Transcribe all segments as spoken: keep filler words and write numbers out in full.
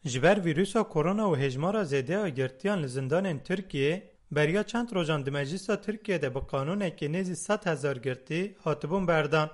Ji ber vîrusa korona û hêjmara zêde ya girtiyan li zindanên Tirkiyê, beriya çend rojan di Meclisa Tirkiyê de bi qanûnekê nêzî sed hezar girtî hatibûn berdan.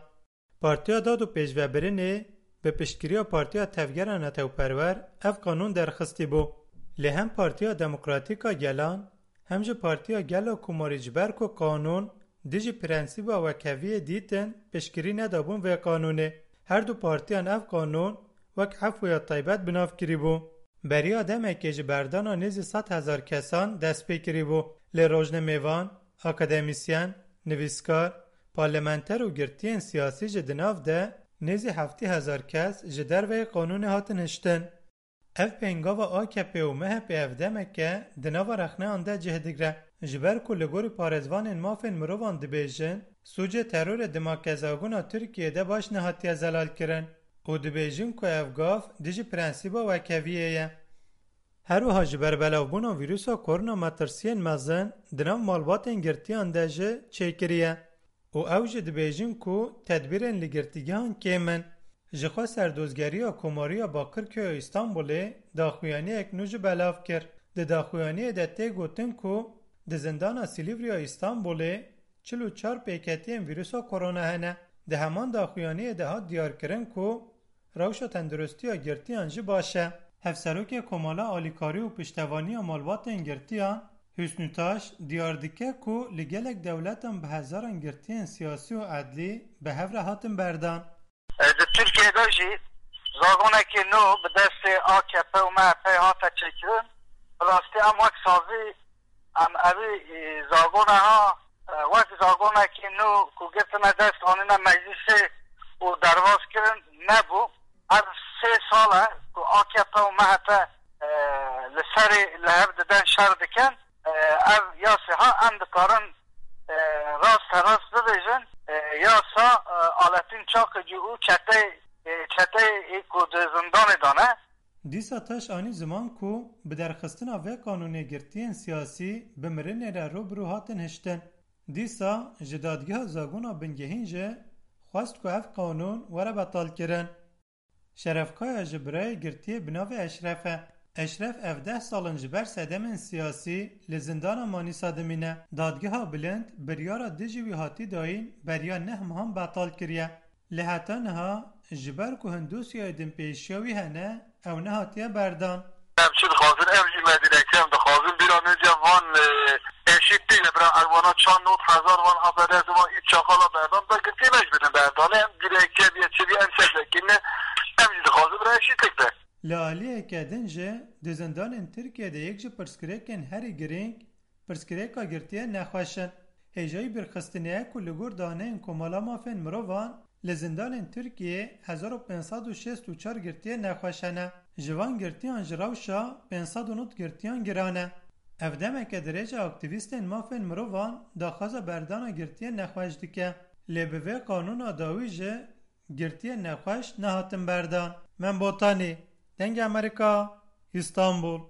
Partiya Dad û Pêşvebirinê bi piştgiriya Partiya Tevgera Netewperwer ev qanûn derxistî bû. Lê hem Partiya Demokratîk a Gelan, hem jî Partiya Gel a Komarî ji ber ku qanûn dijî prensîba wekheviyê dîtin, piştgirî nedabûn vê qanûnê. Her du partiyan ev qanûn wek efwêya taybet bi nav kirîbû. Beriya demekê ji berdana nêzî sed hezar kesan dest pê kirîbû, lê rojnemêvan, akademîsyen, nivîskar, parlamenter û girtiyên siyasî jî di nav de nêzî heftê hezar kes ji derveyê qanûnê hatin hiştin. Ev pêngava A K P û M H P ev demeke di nava rexneyan de cih digre. Ji ber ku li gorî parêzvanên mafên mirovan dibêjin, sûcê terorê di makezagona Tirkiyê de baş nehatiye zelalkirin û dibêjin ku ev gav dijî prensîba wekheviyê ye. Her wiha ji ber belavbûna vîrusa korona metirsiyên mezin di nav malbatên girtiyan de jî çêkiriye û ew jî dibêjin ku tedbîrên li girtîgehan kêm in. Jixwe Serdozgeriya Komariya Bakirköya Îstanbulê daxuyaniyek nû jî belav kir. Di daxuyaniyê de tê gotin ku di zindana Silîvriya Îstanbulê çil û çar pêketiyên vîrusa korona hene. Di heman daxuyaniyê de hat diyarkirin ku rewşa tenduristiya girtiyan jî baş e. Hevserokê Komala Alîkarî û Piştevaniya Malbatên Girtiyan, Hüsnü Taş, diyar dike ku li gelek dewletan bi hezaran girtiyên siyasî û edlî bi hev re hatin berdan. Di Tirkiyê de jî zagonekî nû bi destê A K P û M H P hate çêkirin. Bi rastî em wek sazî, em evî, e, zagona ha, e, wek zagonekî nû ku girtine dest, anîne meclîsê û derbas kirin, nebû. Ev sê sal e ku A K P û M H P, e, li serê li hev diden, şer dikin. E, ev yasê ha em dikarin, e, rasterast bibêjin, e, yasa, e, Aletîn Çakicî û çeteyê, e, çeteyê ku di zindanê de ne. Dîsa Taş anî ziman ku bi derxistina vê qanûnê girtiyên siyasî bi mirinê re rû bi rû hatin hiştin. Dîsa ji Dadgeha Zagona Bingehîn jî xwest ku ev qanûn were betalkirin. Şeref Kaya jî birayê girtiyê bi navê Eşref e. Eşref ev deh sal in ji ber sedemên siyasî li zindana Manîsa dimîne. Dadgeha Bilind biryara dijî wî hatî dayîn beriya neh mehan betal kiriye. Lê heta niha ji ber ku hin dosyayê dinpêşiya wî hene, ew nehatiye berdan. Em çi dixwazin, ev jî me dîrekt em dixwazin. Bîra min ce van, e, eşîtî ye, bira, ev wana çand nod hezar van H P D S van üç çakala berdan, da girtî me jî bidin berdan. Em dîrekt ce biye çi biye em ser vekirine, em jî dixwazin bira eşîtik be. Li aliyeke din jî di zindanên Tirkiyê de yek ji pirsgirêkên herî girîng, pirsgirêka girtiyên nexweş in. Hêjayî bîrxistinê ye ku li gor daneyên Komala Mafên Mirovan li zindanên Tirkiyê hezar û pênc sed û şêst û çar girtiyên nexweş hene. Ji van girtiyan ji rewşa pênc sed û nod girtiyan giran e. Ev demeke dirêj e aktîvîstên mafên mirovan daxwaza berdana girtiyên nexweş dike. Lê bi vê qanûna dawî jî girtiyên nexweş nehatin berdan. Mem Botanî, Dengê Amerîka, Îstanbul.